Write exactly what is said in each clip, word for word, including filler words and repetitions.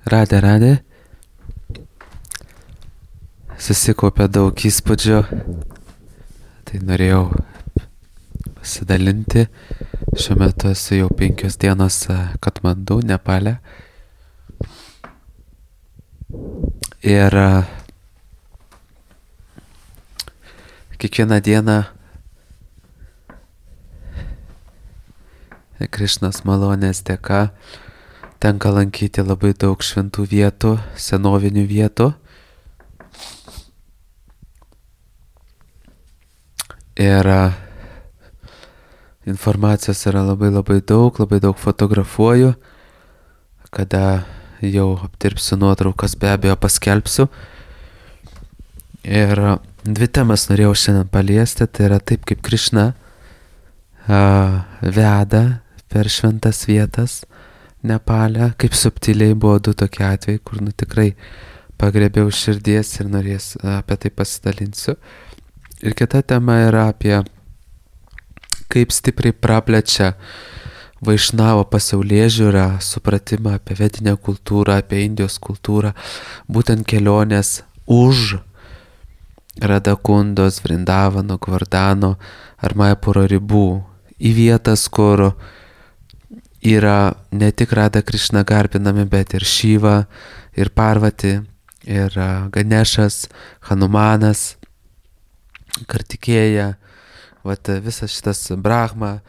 Radė, radė. Susikaupė daug įspūdžių. Tai norėjau pasidalinti. Šiuo metu esu jau penkios dienos Katmandu, Nepale. Ir kiekvieną dieną Krišnos malonės dėka tenka lankyti labai daug šventų vietų, senovinių vietų. Ir informacijos yra labai labai daug, labai daug fotografuoju. Kada jau apdirbsiu nuotraukas, be abejo paskelbsiu. Ir dvi temas norėjau šiandien paliesti. Tai yra taip, kaip Krišna uh, veda per šventas vietas Nepale. Kaip subtiliai buvo du tokie atvejai, kur nu tikrai pagrebiau širdies ir norės apie tai pasidalinsiu. Ir kita tema yra apie kaip stipriai praplečia Vaišnavo pasaulėžiūrą, supratimą apie vedinę kultūrą, apie Indijos kultūrą, būtent kelionės už Radakundos, Vrindavano, Gvardano ar Maipuro ribų į vietas, kur yra ne tik Rada Krišna garbinami, bet ir Šiva, ir Parvati, ir Ganešas, Hanumanas, Kartikėja, vat visas šitas Brahma,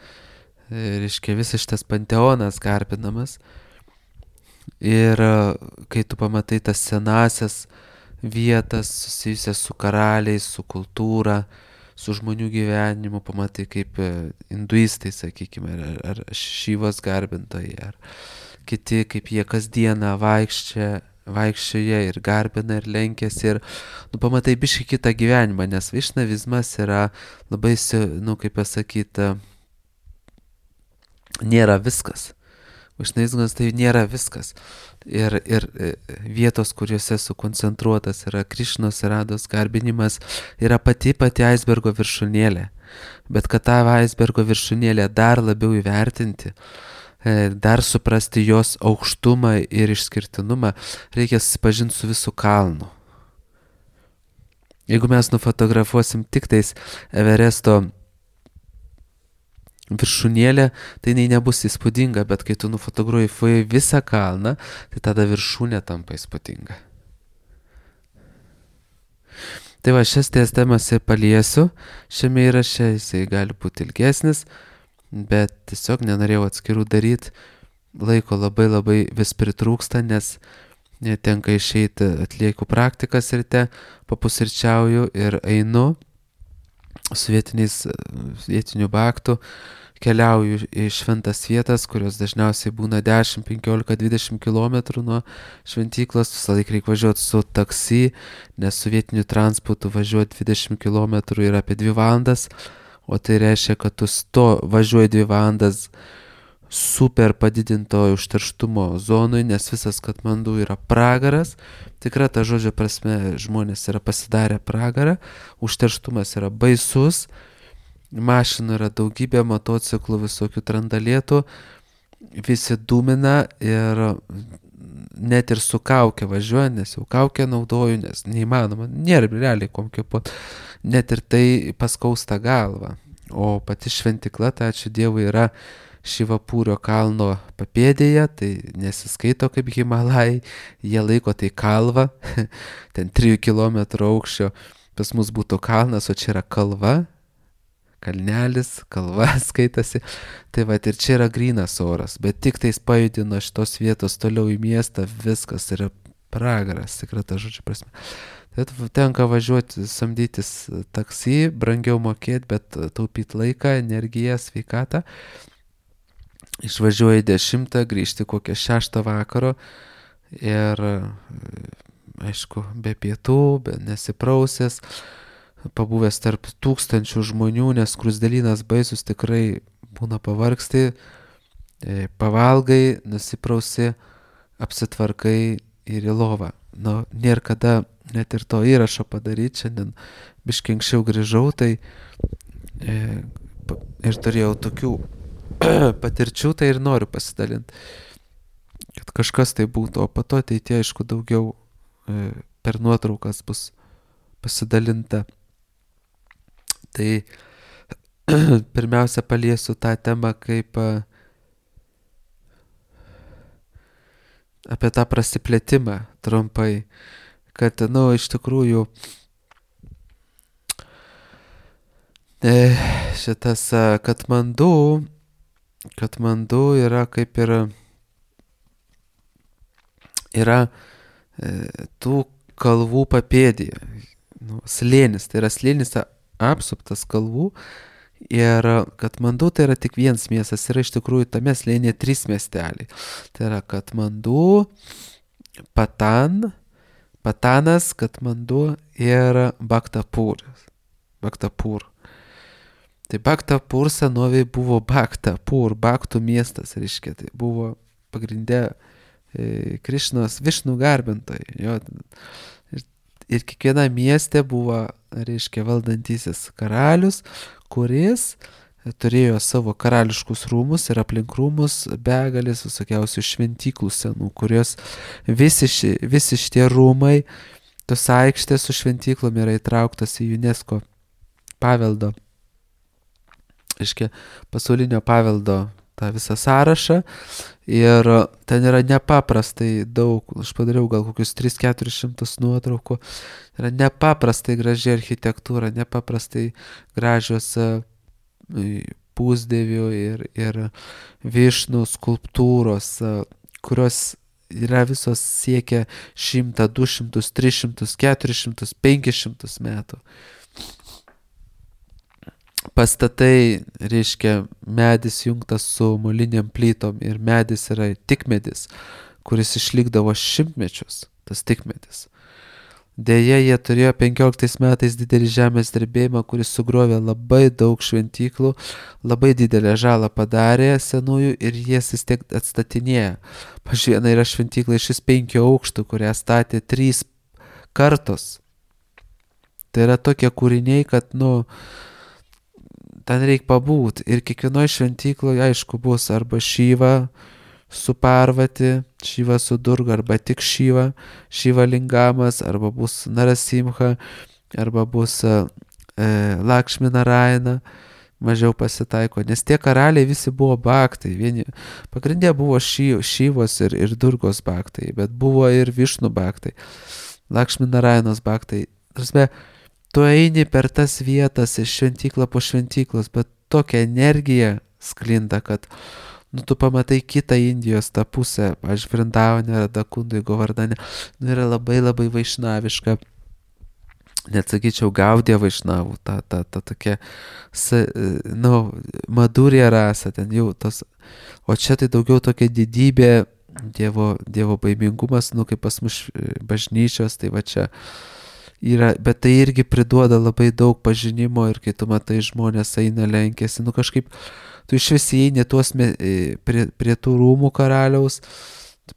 reiškia visas šitas panteonas garbinamas. Ir kai tu pamatai tas senasias vietas susijusias su karaliais, su kultūra, su žmonių gyvenimu, pamatai kaip hinduistai, sakykime, ar, ar Šivos garbintojai, ar kiti, kaip jie kasdieną vaikščia, vaikščioja ir garbina ir lenkėsi ir nu, pamatai biškį kitą gyvenimą, nes vaišnavizmas yra labai, nu, kaip pasakyti, nėra viskas. Vaišnavizmas tai nėra viskas. Ir, ir vietos, kuriuose sukoncentruotas yra Krišnos ir Rados garbinimas, yra pati pati aisbergo viršūnėlė. Bet kad tą aisbergo viršūnėlę dar labiau įvertinti, dar suprasti jos aukštumą ir išskirtinumą, reikia susipažinti su visu kalnu. Jeigu mes nufotografuosim tik tais Everesto viršūnėlė, tai jinai nebus įspūdinga, bet kai tu nufotografuoji visą kalną, tai tada viršūnė tampa įspūdinga. Tai va, šias ties temas ir paliesiu šiame įraše, jisai gali būti ilgesnis, bet tiesiog nenorėjau atskirų daryti, laiko labai labai vis pritrūksta, nes tenka išeiti, atlieku praktikas ryte, papusryčiauju ir einu su vietiniais, vietinių baktų, keliauju į šventas vietas, kurios dažniausiai būna dešimt, penkiolika, dvidešimt kilometrų nuo šventyklos. Visą laiką reikia važiuoti su taksi, nes su vietiniu transportu važiuoti dvidešimt kilometrų yra apie dvi valandas, o tai reiškia, kad tu sto važiuoji dvi valandas super padidinto užterštumo zonui, nes visas Katmandu yra pragaras. Tikra ta žodžio prasme, žmonės yra pasidarę pragarą, užterštumas yra baisus, mašinų yra daugybė, motociklų, visokių trandalėtų, visi dūmina ir net ir su kaukė važiuoja, nes jau kaukę naudoju, nes neįmanoma, nėra realiai kom kvėpuot, net ir tai paskausta galva. O pati šventikla, tai ačiū Dievui, yra Šivapūrio kalno papėdėje, tai nesiskaito kaip Himalajai, jie laiko tai kalva, ten trijų kilometrų aukščio, pas mus būtų kalnas, o čia yra kalva, kalnelis, kalva skaitasi, tai va ir čia yra grynas oras, bet tik tais pajudino šitos vietos toliau į miestą, viskas yra pragaras, tikrai ta žodžio prasme. Tai tenka važiuoti, samdytis taksi, brangiau mokėti, bet taupyti laiką, energiją, sveikatą. Išvažiuoji dešimtą, grįžti kokią šeštą vakaro ir, aišku, be pietų, be nesiprausęs, pabuvęs tarp tūkstančių žmonių, nes krusdelynas baisus, tikrai būna pavargsti, pavalgai, nusiprausi, apsitvarkai ir į lovą. Nu, nėra kada net ir to įrašo padaryti, šiandien biškį anksčiau grįžau, tai e, ir turėjau tokių patirčių, tai ir noriu pasidalinti. Kad kažkas tai būtų, o po to ateitie, aišku, daugiau e, per nuotraukas bus pasidalinta. Tai pirmiausia paliesiu tą temą kaip a, apie tą prasiplėtimą trumpai, kad, nu, iš tikrųjų e, šitas a, Katmandu, Katmandu yra kaip ir yra e, tų kalvų papėdėje, nu, slėnis, tai yra slėnis apsuptas kalvų ir Katmandu tai yra tik vienas miestas, yra iš tikrųjų tame slėnyje trys miesteliai. Tai yra Katmandu, Patan, Patanas, Katmandu ir Bhaktapūras. Bhaktapūr. Tai Bhaktapūr senovėje buvo Bhaktapūr, Bhaktų miestas, reiškia, tai buvo pagrindė e, Krišnos Višnų garbintojai. Jo, ir, ir kiekviena mieste buvo, reiškia, valdantysis karalius, kuris turėjo savo karališkus rūmus ir aplink rūmus begalės visokiausių šventyklų senų, kurios visi, ši, visi šitie rūmai, tos aikštės su šventyklom yra įtrauktas į UNESCO paveldo, reiškia, pasaulinio paveldo tą visą sąrašą ir ten yra nepaprastai daug, aš padariau gal kokius tris keturis šimtus nuotraukų, yra nepaprastai graži architektūra, nepaprastai gražios pusdievių ir, ir višnų skulptūros, kurios yra visos siekia šimtą, du šimtus, tris šimtus, keturis šimtus, penkis šimtus metų. Pastatai, reiškia, medis jungtas su moliniam plytom ir medis yra tikmedis, kuris išlikdavo šimtmečius, tas tikmedis. Deja, jie turėjo penkioliktais metais didelį žemės drebėjimą, kuris sugriovė labai daug šventyklų, labai didelę žalą padarė senųjų ir jas vis tiek atstatinėja. Pavyzdžiui, viena yra šventykla iš penkių aukštų, kurią statė trys kartos. Tai yra tokie kūriniai, kad, nu, ten reikia pabūt ir kiekvienoje šventykloje, aišku, bus arba Šiva su Parvati, Šiva su Durga, arba tik Šiva, Šiva Lingamas, arba bus Narasimha, arba bus e, Lakšmi Narayana, mažiau pasitaiko, nes tie karaliai visi buvo bhaktai, vieni, pagrindė buvo ši, Šivos ir, ir Durgos bhaktai, bet buvo ir Višnų bhaktai, Lakšmi Narayanos bhaktai. Tarsi, tu eini per tas vietas iš šventyklą po šventyklos, bet tokia energija sklinda, kad, nu, tu pamatai kitą Indijos tą pusę, aš Vrindavane, Radakundui, Govardane, nu, yra labai labai vaišnaviška, net sakyčiau, Gaudija vaišnavų, ta, ta, ta tokia, sa, nu, Madurija rasa, ten jau tos, o čia tai daugiau tokia didybė, dievo, dievo baimingumas, nu, kaip pas mus bažnyčios, tai va čia yra, bet tai irgi priduoda labai daug pažinimo ir kai tu matai žmonės eina lenkėsi, nu kažkaip tu iš vis įeini tuos me, prie, prie tų rūmų karaliaus,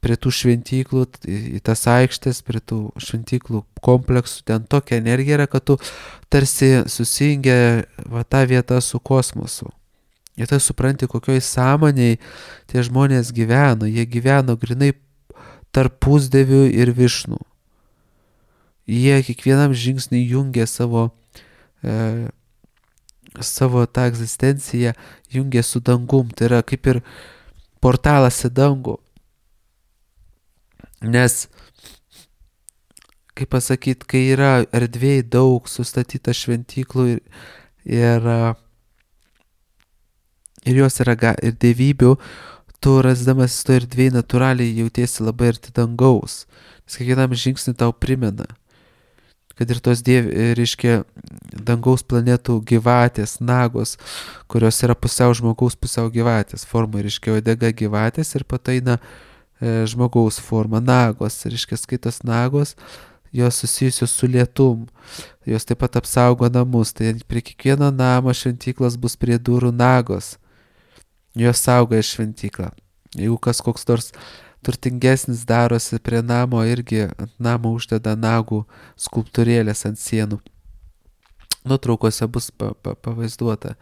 prie tų šventyklų, į, į tas aikštės, prie tų šventyklų kompleksų, ten tokia energija yra, kad tu tarsi susijungia va tą vietą su kosmosu. Ir tai supranti, kokioj sąmoniai tie žmonės gyveno, jie gyveno grinai tarp pusdievių ir višnų. Jie kiekvienam žingsnį jungia savo, e, savo tą egzistenciją, jungia su dangum. Tai yra kaip ir portalas į dangų. Nes, kaip pasakyti, kai yra erdvėj daug sustatyta šventyklų ir, ir, ir jos yra ir dievybių, tu rasdamas to erdvėj natūraliai jautiesi labai arti dangaus. Nes kiekvienam žingsnį tau primena, kad ir tos diev, reiškia, dangaus planetų gyvatės, nagos, kurios yra pusiau žmogaus, pusiau gyvatės forma, reiškia, uodega gyvatės ir pataina e, žmogaus forma, nagos, reiškia, skaitos nagos, jos susijusios su lietum, jos taip pat apsaugo namus, tai prie kiekvieno namo šventyklos bus prie durų nagos, jos saugo šventyklą. Jeigu kas koks nors turtingesnis darosi prie namo, irgi ant namo uždeda nagų skulptūrėlės ant sienų. Nuotraukose bus pa, pa, pavaizduota.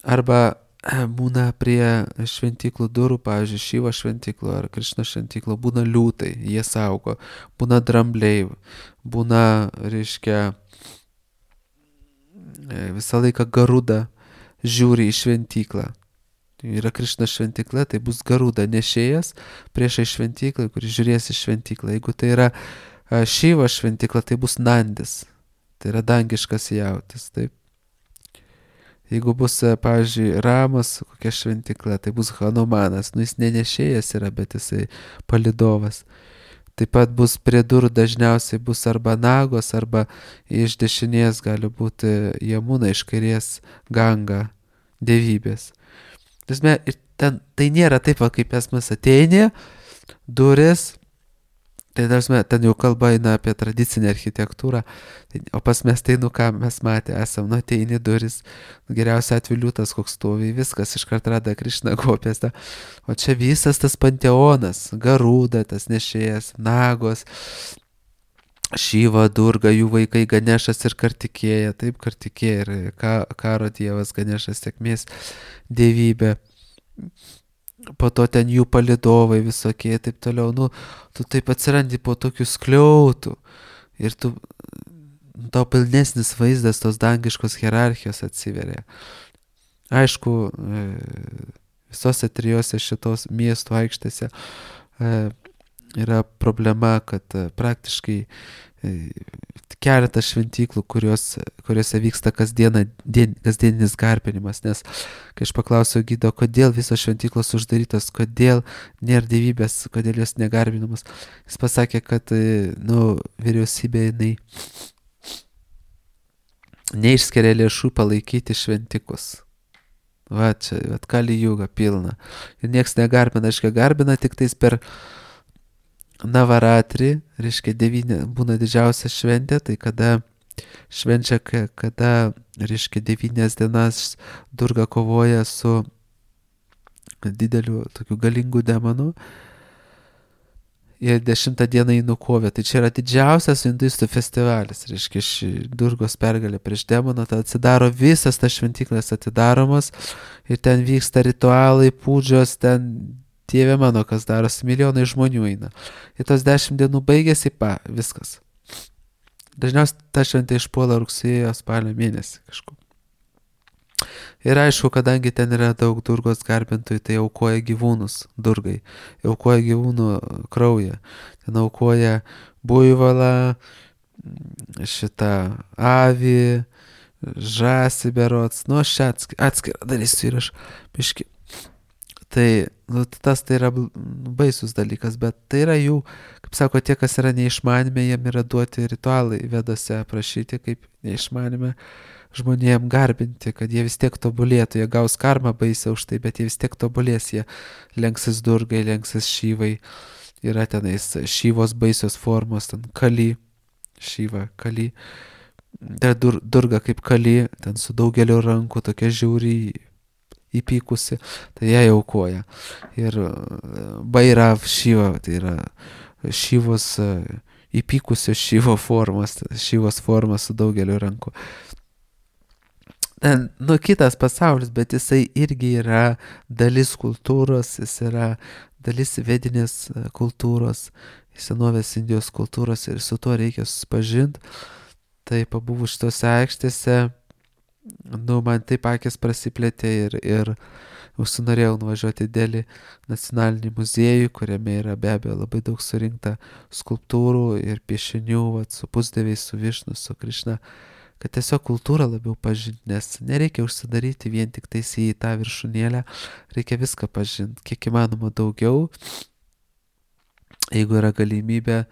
Arba būna prie šventyklų durų, pavyzdžiui, Šyvo šventyklų ar Krišno šventyklų, būna liūtai, jie saugo, būna drambliai, būna, reiškia, visą laiką garuda žiūri į šventyklą. Yra Krišna šventykla, tai bus garuda nešėjas priešai šventyklai, kuris žiūrės į šventyklą. Jeigu tai yra Šyvo šventykla, tai bus Nandis, tai yra dangiškas jautis, taip. Jeigu bus, pavyzdžiui, Ramos kokia šventykla, tai bus Hanumanas, nu jis nenešėjas yra, bet jisai palidovas. Taip pat bus prie durų dažniausiai bus arba Nagos, arba iš dešinės gali būti Jamuna, iš kairės Ganga, dievybės. Ir ten, tai nėra taip, va, kaip pas mus ateini, duris, tai dažnai ten jau kalba eina apie tradicinę architektūrą, tai, o pas mes tai, nu ką mes matė, esam, nu ateini duris, nu, geriausia atveju liūtas koks stovi, viskas iškart rada Krišna kopės, ta. O čia visas tas panteonas, Garuda, tas nešėjas, Nagos, Šyva, Durga, jų vaikai Ganešas ir Kartikėja, taip Kartikėja ir ka, karo dievas Ganešas, sėkmės dievybė. Po to ten jų palidovai visokie, taip toliau, nu, tu taip atsirandi po tokių skliautų ir tu, tau pilnesnis vaizdas tos dangiškos hierarchijos atsiveria. Aišku, visose trijose šitos miestų aikštėse yra problema, kad praktiškai keletas šventyklų, kurios, kuriuose vyksta kasdieną, dien, kasdieninis garbinimas, nes kai aš paklausiau gido, kodėl visos šventyklos uždarytos, kodėl nėra dievybės, kodėl jos negarbinamas, jis pasakė, kad nu, vyriausybė jinai neišskiria lėšų palaikyti šventikus. Va čia, va kali jūga pilna. Ir nieks negarbina, aiškia, garbina tik tais per Navaratri, reiškia devynė, būna didžiausia šventė, tai kada švenčia, kada, reiškia, devynės dienas Durga kovoja su dideliu, tokiu galingu demonu ir dešimtą dieną jį nukovė. Tai čia yra didžiausias hinduistų festivalis, reiškia, Durgos pergalė prieš demoną, tai atsidaro visas tas šventyklas atidaromas ir ten vyksta ritualai, pūdžios, ten Dieve mano, kas darosi, milijonai žmonių eina. Ir tos dešimt dienų baigėsi, pa, viskas. Dažniausiai ta šventė išpuola rugsėjo, spalio mėnesį kažkur. Ir aišku, kadangi ten yra daug Durgos garbintojų, tai aukoja gyvūnus Durgai. Aukoja gyvūnų kraują. Ten aukoja buivalą, šitą avį, žąsį berods. Nu, aš čia atskirą darysiu ir aš biški. Tai, nu, tas tai yra baisus dalykas, bet tai yra jų, kaip sako, tie, kas yra neišmanime, jiem yra duoti ritualai vedose aprašyti, kaip neišmanime žmonėm garbinti, kad jie vis tiek tobulėtų, jie gaus karmą baisę už tai, bet jie vis tiek tobulės, jie lenksis Durgai, lenksis Šyvai, yra tenais Šyvos baisios formos, ten Kali, Šyva, Kali, dar dur, Durga kaip Kali, ten su daugeliu rankų, tokia žiauri, įpykusi, tai jie aukoja. Ir Bairav Šyva, tai yra Šyvos, įpykusios Šyvo formos, Šyvos formos su daugeliu rankų. Nu, kitas pasaulis, bet jisai irgi yra dalis kultūros, jis yra dalis vedinės kultūros, senovės Indijos kultūros ir su tuo reikia susipažinti. Tai pabuvus šitose aikštėse, nu, man taip akis prasiplėtė ir, ir užsinorėjau nuvažiuoti į Delį nacionalinį muziejų, kuriame yra be abejo labai daug surinkta skulptūrų ir piešinių, vat, su pusdieviais, su Višnu, su Krišna, kad tiesiog kultūrą labiau pažinti, nes nereikia užsidaryti vien tik tais į tą viršūnėlę, reikia viską pažinti, kiek įmanoma daugiau, jeigu yra galimybė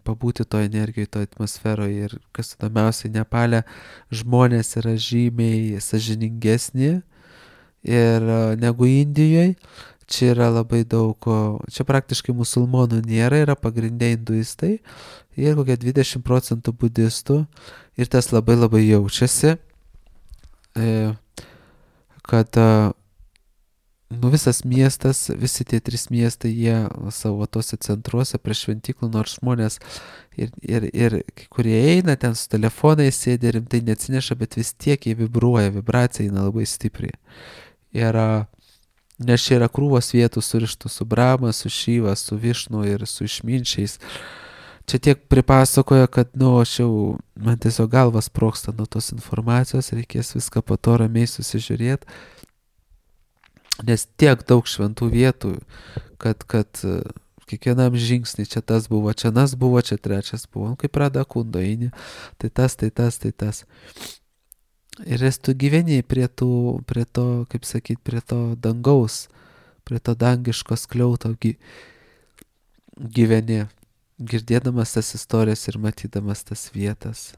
pabūti to energijoje, to atmosferoje. Ir kas įdomiausia, Nepale žmonės yra žymiai sąžiningesni ir negu Indijoje. Čia yra labai daug, čia praktiškai musulmonų nėra, yra pagrindė hinduistai ir kokia dvidešimt procentų budistų. Ir tas labai labai jaučiasi, kad nu, visas miestas, visi tie trys miestai, jie savo tose centruose prie šventyklų, nors žmonės ir, ir, ir kai kurie eina ten su telefonais, sėdi rimtai neatsineša, bet vis tiek jie vibruoja, vibracija eina labai stipriai. yra, nes čia yra krūvos vietų surištų su Brahma, su Šiva, su Višnu ir su išminčiais. Čia tiek pripasakoja, kad, nu, aš jau, man tiesiog galvas sprogsta nuo tos informacijos, reikės viską po to ramiai susižiūrėti, nes tiek daug šventų vietų, kad, kad e, kiekvienam žingsnį čia tas buvo, čia nas buvo, čia trečias buvo, nu, kaip Radha Kundo eini, tai tas, tai tas, tai tas. Ir esi tu gyveni prie, tų, prie to, kaip sakyt, prie to dangaus, prie to dangiško skliauto gy, gyveni, girdėdamas tas istorijas ir matydamas tas vietas.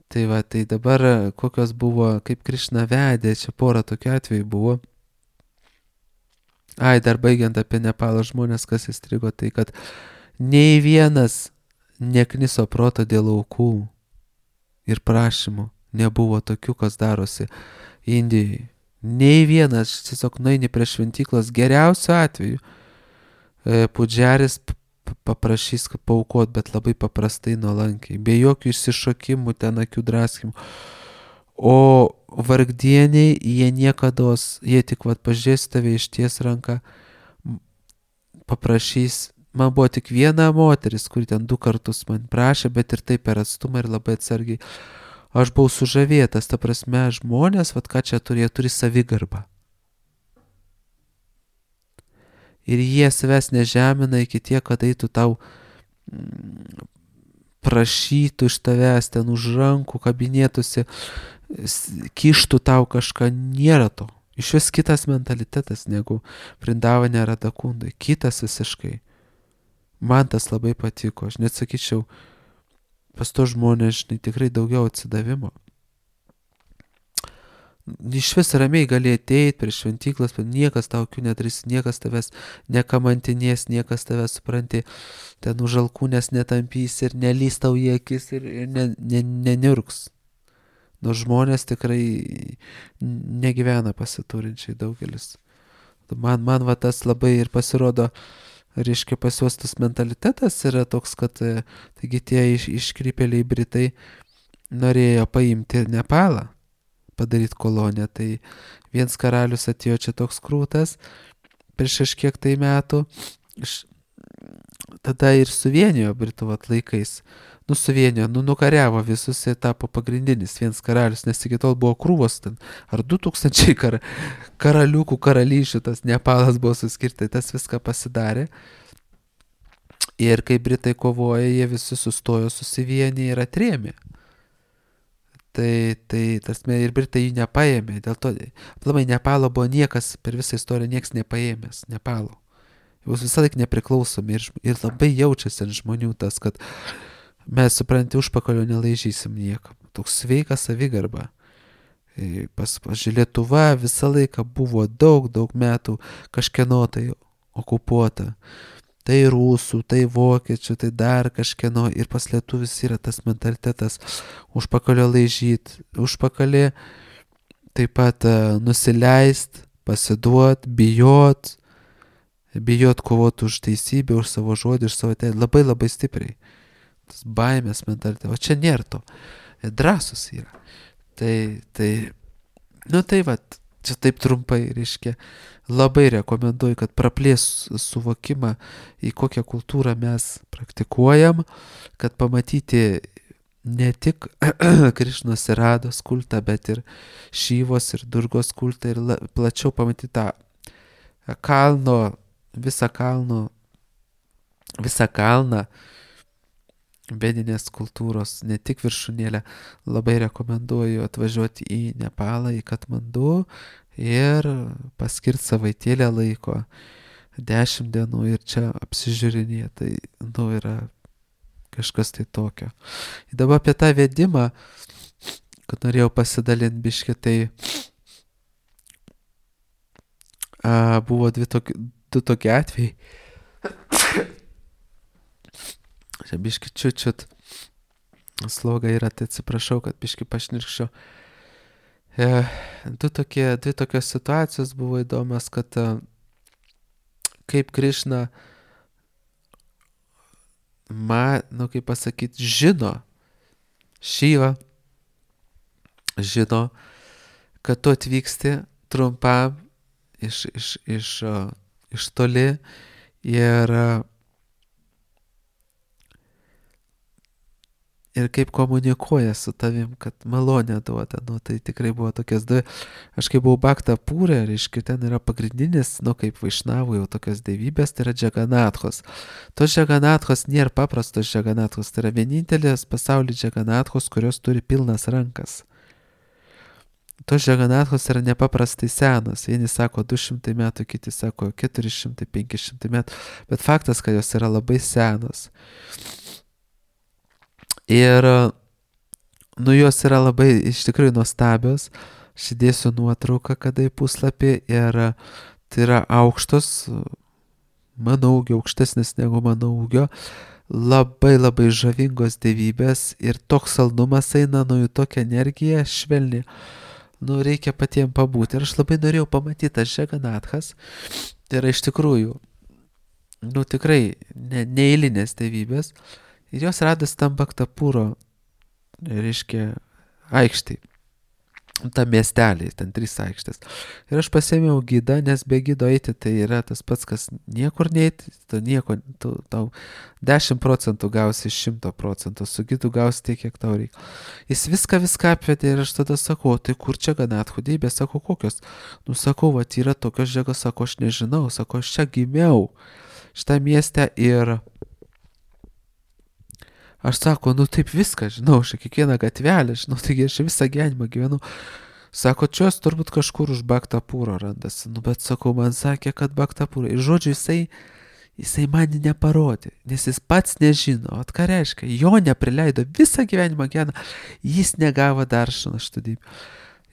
Tai va, tai dabar kokios buvo, kaip Krišna vedė, čia porą tokių atvejų buvo. Ai, dar baigiant apie Nepalo žmonės, kas įstrigo, tai kad nei vienas nekniso proto dėl aukų ir prašymų. Nebuvo tokių, kas darosi Indijai. Nei vienas, tiesiog nueini prie šventyklos, geriausiu atveju. E, Pudžiaris paprašys paaukot, bet labai paprastai nuolankiai, be jokių išsišokimų, ten akių draskimų. O vargdieniai, jie niekados, jie tik vat pažiūrės tave išties ranką, paprašys. Man buvo tik viena moteris, kuri ten du kartus man prašė, bet ir taip per atstumą ir labai atsargiai. Aš buvau sužavėtas, ta prasme, žmonės, vat ką čia turi, jie turi savigarbą. Ir jie savęs nežemina iki tiek, kad eitų tau mm, prašytų iš tavęs ten už rankų, kabinėtųsi, kištų tau kažką, nėra to. Iš vis kitas mentalitetas negu Vrindavane Radha Kundai, kitas visiškai. Man tas labai patiko, aš net sakyčiau, pas to žmonės, žinai, tikrai daugiau atsidavimo. Iš vis ramiai gali ateiti prie šventyklas, bet niekas tau akių nedarys, niekas tavęs nekamantinės, niekas tavęs, supranti, ten už alkūnės netampys ir nelys tau į akis ir, ir ne, ne, neniurks. Nors žmonės tikrai negyvena pasiturinčiai daugelis. Man, man va tas labai ir pasirodo, reiškia, pas juos tas mentalitetas yra toks, kad taigi tie iš, iškrypėliai Britai norėjo paimti Nepalą, padaryti koloniją. Tai viens karalius atėjo čia toks krūtas prieš kažkiek tai metų, tada ir suvienijo Britų laikais. Nu, suvienijo, nu, nukariavo visus ir tapo pagrindinis viens karalius, nes iki tol buvo krūvos ten, ar du tūkstančiai kar, karaliukų, karalyšių, tas Nepalas buvo suskirtai, tas viską pasidarė. Ir kai Britai kovoja, jie visi sustojo, susivienė ir atrėmė. Tai, tai tas ir Britai jį nepaėmė, dėl to, aplamai Nepalo buvo niekas, per visą istoriją nieks nepaėmęs, Nepalo. Jūs visą laiką nepriklausomi ir, ir labai jaučiasi ant žmonių tas, kad mes, supranti, užpakalio nelaižysim niekam. Toks sveikas savigarba. Pas, pas Lietuva visą laiką buvo daug, daug metų kažkieno tai okupuota. Tai rusų, tai vokiečių, tai dar kažkieno. Ir pas lietuvis yra tas mentalitetas užpakalio laižyt, užpakalį taip pat uh, nusileist, pasiduot, bijot, bijot kovoti už teisybę, už savo žodį, už savo teisę. Labai labai stipriai. Tas baimės mentalitetas. O čia nėra to. Drąsus yra. Tai, tai, nu tai va, čia taip trumpai, reiškia, labai rekomenduoju, kad praplės suvokimą, į kokią kultūrą mes praktikuojam, kad pamatyti ne tik Krišnos ir Rados kultą, bet ir Šyvos ir Durgos kultą ir la, plačiau pamatyti tą kalno, visą kalno, visą kalną, vedinės kultūros, ne tik viršūnėlę. Labai rekomenduoju atvažiuoti į Nepalą, į Katmandu ir paskirti savaitėlę laiko, dešimt dienų ir čia apsižiūrinėti. Tai, nu, yra kažkas tai tokio. Ir dabar apie tą vedimą, kad norėjau pasidalinti biškį, tai a, buvo dvi toki, du tokie atvejai. Čia biški čiut-čiut sloga yra, tai atsiprašau, kad biški pašnirkščiau. E, du tokie, dvi tokios situacijos buvo įdomios, kad a, kaip Krišna, ma, nu kaip pasakyti, žino, Šyva žino, kad tu atvyksti trumpam iš, iš, iš, uh, iš toli ir, uh, ir kaip komunikuoja su tavim, kad malonę duoda. Nu, tai tikrai buvo tokias dvi. Aš kai buvau Baktą Pūrė, reiškia, ten yra pagrindinis, nu, kaip Vaišnavų jau tokios dievybės, tai yra Džaganathos. Tos Džaganathos nėra paprastos Džaganathos, tai yra vienintelės pasaulyje Džaganathos, kurios turi pilnas rankas. Tos Džaganathos yra nepaprastai senos. Vieni sako du šimtai metų, kiti sako keturi šimtai, penki šimtai metų. Bet faktas, kad jos yra labai senos. Ir, nu, jos yra labai iš tikrųjų nuostabios. Aš įdėsiu nuotrauką, kada į puslapį. Ir tai yra aukštos, mano ūgio, aukštesnis negu mano ūgio. Labai labai žavingos dievybės. Ir toks saldumas eina, nu, jų tokia energija švelni. Nu, reikia patiems pabūti. Ir aš labai norėjau pamatyti tas Džaganathas. Tai yra iš tikrųjų, nu, tikrai ne, neeilinės dievybės. Ir jos radas tam Baktą Pūro, reiškia, aikštėj. Tam miestelį, ten trys aikštės. Ir aš pasėmiau gidą, nes be gido eiti tai yra tas pats, kas niekur neiti, tu nieko, tu, tau dešimt procentų gausi iš šimto procentų, su gidu gausi tiek, kiek tau reikia. Jis viską viską apvedė ir aš tada sakau, tai kur čia Džaganathų dievybės, sakau, kokios? Nu, sakau, va, yra tokios Džagos, sakau, aš nežinau, sakau, aš čia gimiau šitą miestę ir aš sako, nu taip viską, žinau, aš kiekvieną gatvelę, žinau, taigi aš visą gyvenimą gyvenu. Sako, čia jos turbūt kažkur už Baktą Pūro randasi. Nu, bet sakau, man sakė, kad Baktą Pūro. Ir žodžiu, jisai, jisai man neparodė, nes jis pats nežino. O ką reiškia? Jo neprileido visą gyvenimą gyvena, jis negavo dar šitų dievybę.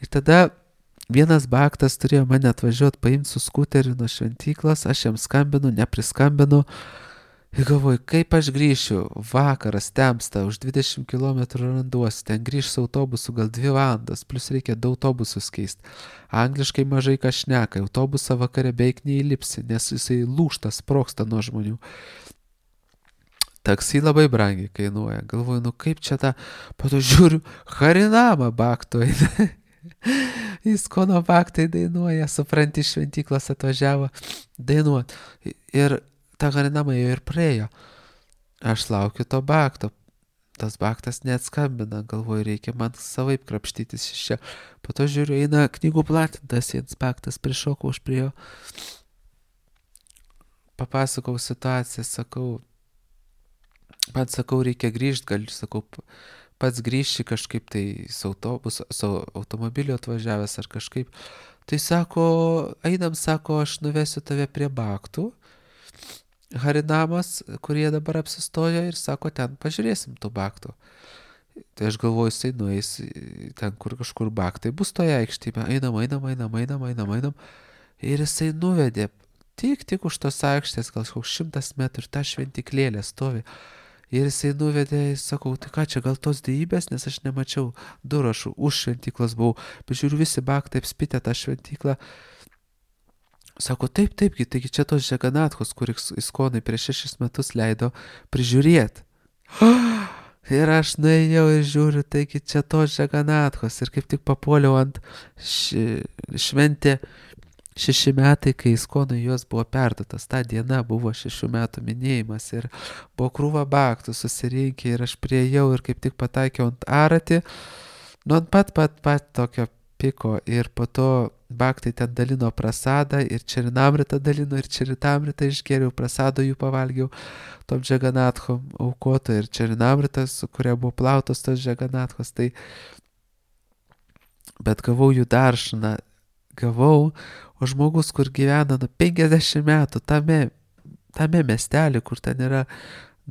Ir tada vienas Baktas turėjo mane atvažiuoti, paimti su skuteriu nuo šventyklos, aš jam skambinu, nepriskambinu. Ir galvoju, kaip aš grįšiu, vakaras temsta, už dvidešimt kilometrų randuosi, ten grįš su autobusu gal dvi valandas, plus reikia du autobusus keisti. Angliškai mažai ką šneka, autobusą vakare beveik neįlipsi, nes jisai lūžta, sprogsta nuo žmonių. Taksi labai brangiai kainuoja. Galvoju, nu kaip čia tą, po to žiūriu, Harinamą Bakto eina. Jis Kono Baktai dainuoja, supranti, šventyklos atvažiavo dainuot. Ir tą Harinamą jau ir praėjo. Aš laukiu to Bakto. Tas Baktas neatskambina, galvoju, reikia man savaip krapštytis iš čia. Po to žiūriu, eina knygų platintas, vienas Baktas, prišokau už prie jo. Papasakau situaciją, sakau, man sakau, reikia grįžti, gal, sakau, pats grįžti kažkaip tai su autobusu, su automobiliu atvažiavęs ar kažkaip. Tai sako, einam, sako, aš nuvesiu tave prie Baktų. Harinamos, kurie dabar apsistojo ir sako, ten pažiūrėsim tų Baktų. Tai aš galvoju, jisai nueis ten, kur kažkur Baktai bus toje aikštėje. Einam, einam, einam, einam, einam, einam. Ir jisai nuvedė tik, tik už tos aikštės, gal koks šimtas metrų, ta šventiklėlė stovi. Ir jisai nuvedė, sakau, tai ką čia, gal tos dievybės, nes aš nemačiau durų, aš už šventyklas buvau. Pažiūriu, visi Baktai apspitę tą šventyklą. Sako, taip, taipgi, taigi čia tos Džaganathos, kur Iskonai prieš šešis metus leido prižiūrėti. Ir aš nuėjau ir žiūriu, taigi čia tos Džaganathos. Ir kaip tik papuoliau ant š... šventė šeši metai, kai Iskonai jos buvo perduotas. Ta diena buvo šešių metų minėjimas ir buvo krūva Baktų susirinkę ir aš priejau ir kaip tik pataikiau ant Aratį. Nu, ant pat, pat, pat tokio piko ir po to Baktai ten dalino prasadą ir Čerinamritą dalino ir Čeritamritą išgėriau, prasado jų pavalgiau tom Džaganathom aukoto ir Čerinamritas, su kuria buvo plautos tos Džaganathos, tai bet gavau jų daršaną, gavau, o žmogus, kur gyvena nu penkiasdešimt metų tame, tame miestelį, kur ten yra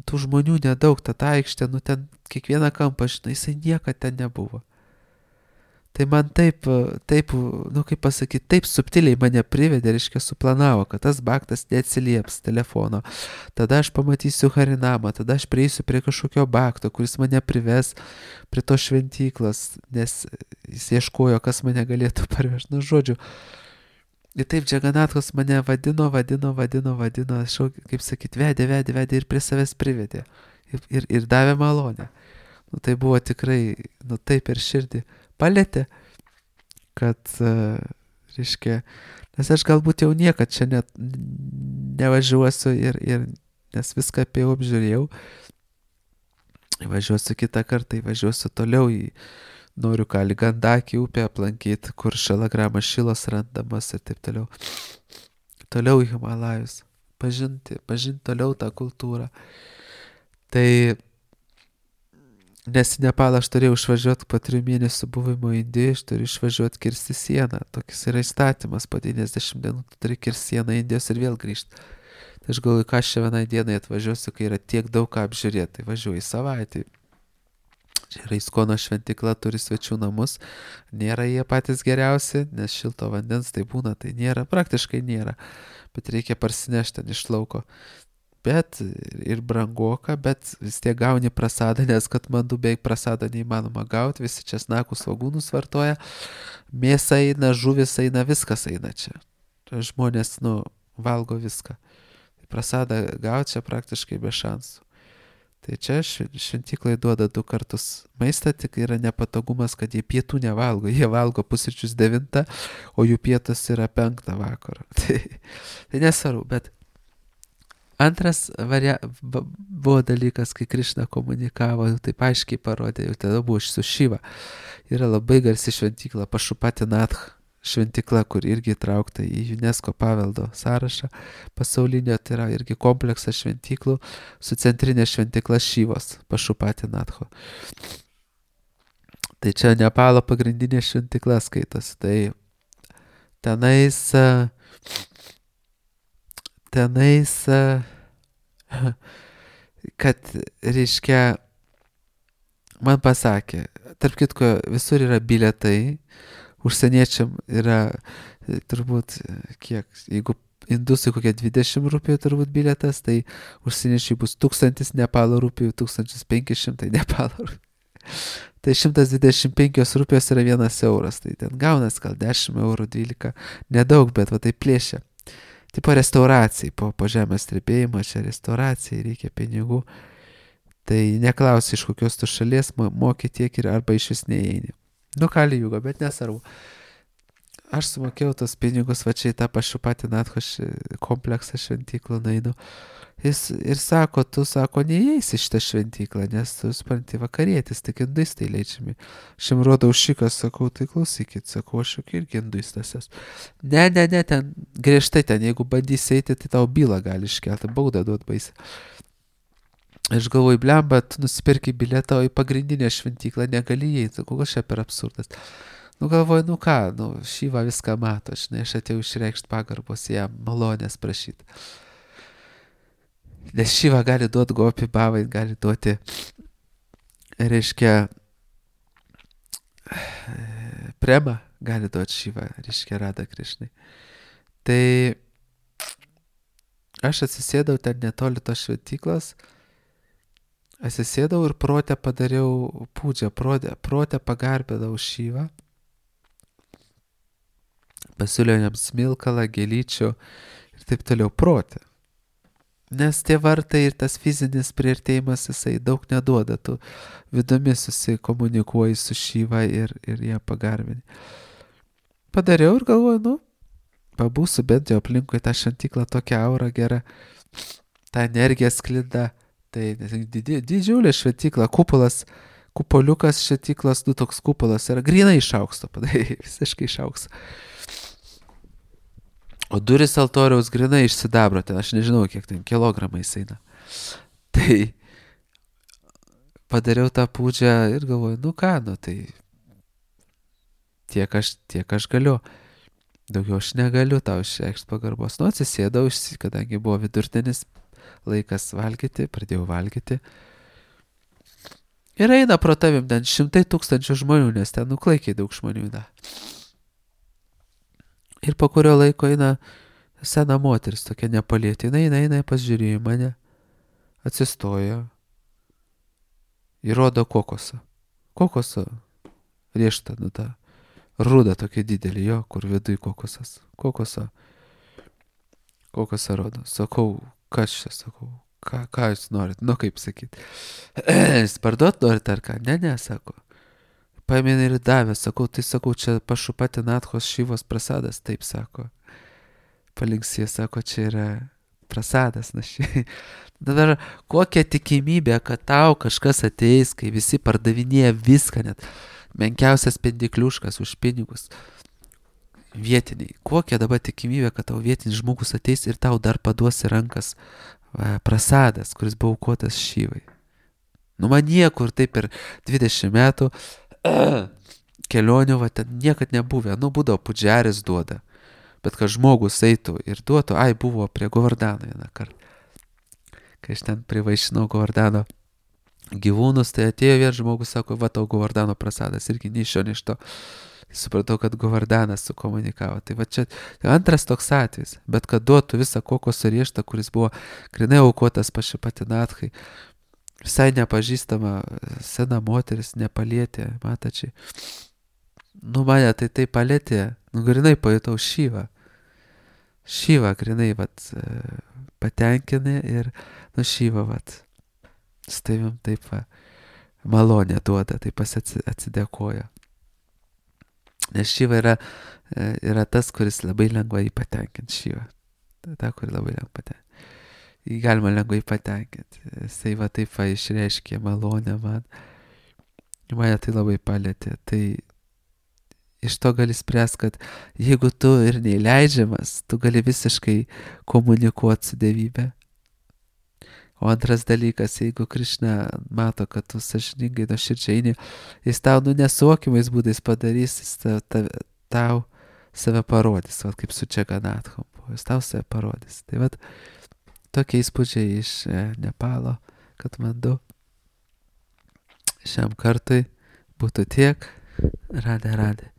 tų žmonių nedaug, ta aikštė, nu ten kiekvieną kampą, žinai, jisai niekad ten nebuvo. Tai man taip, taip, nu kaip pasakyti, taip subtiliai mane privedė, reiškia, suplanavo, kad tas Baktas neatsilieps telefono. Tada aš pamatysiu Harinamą, tada aš prieisiu prie kažkokio Bakto, kuris mane prives prie to šventyklos, nes jis ieškojo, kas mane galėtų parvežti. Nu, žodžiu. Ir taip Džaganathos mane vadino, vadino, vadino, vadino, aš, kaip sakyti, vedė, vedė, vedė ir prie savęs privedė. Ir, ir, ir davė malonę. Nu, tai buvo tikrai, nu taip ir širdį palėtė, kad, reiškia, nes aš galbūt jau niekad čia net nevažiuosiu ir, ir nes viską apie jau apžiūrėjau. Važiuosiu kitą kartą, važiuosiu toliau į, noriu ką, Ligandakį upę aplankyti, kur šalagramas šilos randamas ir taip toliau. Toliau į Himalajus, pažinti, pažinti toliau tą kultūrą. Tai nes į Nepalą aš turėjau išvažiuoti po trijų mėnesių buvimo Indijoje, aš turiu išvažiuoti kirsti sieną. Tokis yra įstatymas, po devyniasdešimt dienų tu turi kirsti sieną Indijos ir vėl grįžti. Tai aš galvoju, ką aš čia vienai dienai atvažiuosiu, kai yra tiek daug ką apžiūrėti. Tai važiuoju į savaitę. Čia yra Iskono šventykla, turi svečių namus. Nėra jie patys geriausi, nes šilto vandens tai būna, tai nėra, praktiškai nėra. Bet reikia parsinešti ten iš lauko. Bet ir brangoka, bet vis tiek gauni prasadą, nes kad mandų beveik prasadą neįmanoma gauti, visi česnakus svagūnus vartoja, mėsa eina, žuvis eina, viskas eina čia. Žmonės, nu, valgo viską. Prasadą gauti čia praktiškai be šansų. Tai čia šventyklai duoda du kartus maistą, tik yra nepatogumas, kad jie pietų nevalgo. Jie valgo pusryčius devintą, o jų pietus yra penktą vakaro. Tai, tai nesvarbu, bet antras varia... buvo dalykas, kai Krišna komunikavo, jau taip aiškiai parodė, jau tada buvo su Šiva. Yra labai garsi šventykla, Pašupatinath šventykla, kur irgi įtraukta į UNESCO paveldo sąrašą pasaulinio, tai yra irgi kompleksas šventyklų su centrinė šventykla Šivos, Pašupatinatho. Tai čia Nepalo pagrindinė šventykla skaitos. Tai tenais, tenais, kad, reiškia, man pasakė, tarp kitko, visur yra bilietai, užsieniečiam yra turbūt kiek, jeigu indusai kokie dvidešimt rupijų turbūt bilietas, tai užsieniečiai bus tūkstantis Nepalo rupijų, tūkstantis penki šimtai Nepalo rupijų. Tai šimtas dvidešimt penkios rupijos yra vienas euras, tai ten gaunas gal dešimt eurų, dvylika, nedaug, bet va tai plėšia. Tipo restauracijai, po, po žemės strebėjimo, čia restauracijai reikia pinigų, tai neklausi iš kokios tu šalies, moki tiek ir arba iš vis neįeini. Nu, kali jūgo, bet nesvarbu. Aš sumokėjau tos pinigus, va čia į tą Pašupatinatho kompleksą šventyklų nainu. Jis ir sako, tu sako, neįeisi šitą šventyklą, nes tu supranti vakarietis, tik industai leidžiami. Aš jam rodau šikas, sakau, tai klausykit, sakau, aš juk irgi industas esu. Ne, ne, ne, ten griežtai ten, jeigu bandysi eiti, tai tau bylą gali iškelti, baudą duot baisį. Aš galvoju, blemba, tu nusipirki bilietą, o į pagrindinę šventyklą negali įeiti. Kokios čia per absurdas. Nu galvoju, nu ką, nu Šiva viską mato, žinai, aš atėjau išreikšti pagarbos jam, malonės prašyti. Nes Šiva gali duoti gopi bavai, gali duoti, reiškia, prema, gali duoti Šiva, reiškia, Rada Krišnai. Tai aš atsisėdau ten netoli tos šventyklos, atsisėdau ir protę padariau pūdžią, protę, protę pagarbėdau Šyvą, pasiūliau jam smilkalą, gėlyčių ir taip toliau protę. Nes tie vartai ir tas fizinis priartėjimas, jisai daug neduoda, tu vidumi susikomunikuoji su Šyva ir, ir ją pagarbini. Padariau ir galvoju, nu, pabūsiu bent jau aplinkui tą šventyklą, tokia aura gera, ta energija sklinda. Tai didžiulė šventykla, kupolas, kupoliukas šventyklos, nu toks kupolas yra grinai iš aukso, padai, visiškai iš aukso. O duris altoriaus grinai iš sidabro, ten aš nežinau, kiek ten kilogramais eina. Tai padariau tą pūdžią ir galvoju, nu ką, nu tai tiek aš, tiek aš galiu. Daugiau aš negaliu tau išreikšti pagarbos. Nu atsisėdau, kadangi buvo vidurtienis, laikas valgyti, pradėjau valgyti. Ir eina pro tavim ten šimtai tūkstančių žmonių, nes ten nuklaikiai daug žmonių eina. Ir po kurio laiko eina sena moteris, tokia nepalietė. Eina, eina, eina, pasižiūrėjo mane, atsistojo, įrodo kokosą. Kokosą riešta, nu ta ruda tokia didelė, jo, kur viduj kokosas. Kokosą, kokosą rodo. Sakau, kas čia, sakau, ką, ką jūs norit, nu kaip sakyt. Jūs parduot norit ar ką? Ne, ne, sako. paėmė ir davė, sakau, tai sakau, čia Pašupati Nathos Šivos prasadas, taip sako. Palinksė, sako, čia yra prasadas, na šiai. Dabar kokia tikimybė, kad tau kažkas ateis, kai visi pardavinėja viską, net menkiausias pendikliuškas už pinigus. Vietiniai. Kokia dabar tikimybė, kad tau vietinis žmogus ateis ir tau dar paduosi rankas va, prasadas, kuris buvo aukotas Šivai. Nu man niekur taip per dvidešimt metų kelionių, va, ten niekad nebuvę. Nu, būdavo pudžiaris duoda. Bet kad žmogus eitų ir duotų, ai, buvo prie Govardano vieną kartą. Kai aš ten privaišinau Govardano gyvūnus, tai atėjo vien žmogus, sako, va, tau Govardano prasadas, irgi nei iš šio, nei iš to. Supratau, kad Govardanas sukomunikavo. Tai va čia antras toks atvejis, bet kad duotų visą kokoso rieštą, kuris buvo grinai aukotas Pašupati Nathai, visai nepažįstama sena moteris, nepalietė, matačiai. Nu, mane tai tai palėtė, nu, grinai pajutau Šivą. Šivą grinai, vat, patenkinė ir, nu, Šivą, vat, su tavim taip, va, malonę duoda, taip pas atsidėkoja. Nes Šiva yra, yra tas, kuris labai lengvai patenkint Šivą. Ta, kuri labai lengvai patenkint. Jį galima lengvai patenkinti. Jisai va taip va išreiškė malonę man. Mane tai labai palėtė. Tai iš to gali spręsti, kad jeigu tu ir neįleidžiamas, tu gali visiškai komunikuoti su dievybė. O antras dalykas, jeigu Krišna mato, kad tu sąžiningai nuoširdžiai eini, jis tau nu nesuokimais būdais padarys, jis tau, tau, tau save parodys, vat, kaip su Džaganathom. Jis tau save parodys. Tai vat, tokie įspūdžiai iš e, Nepalo, kad man du šiam kartui būtų tiek. Radė, radė.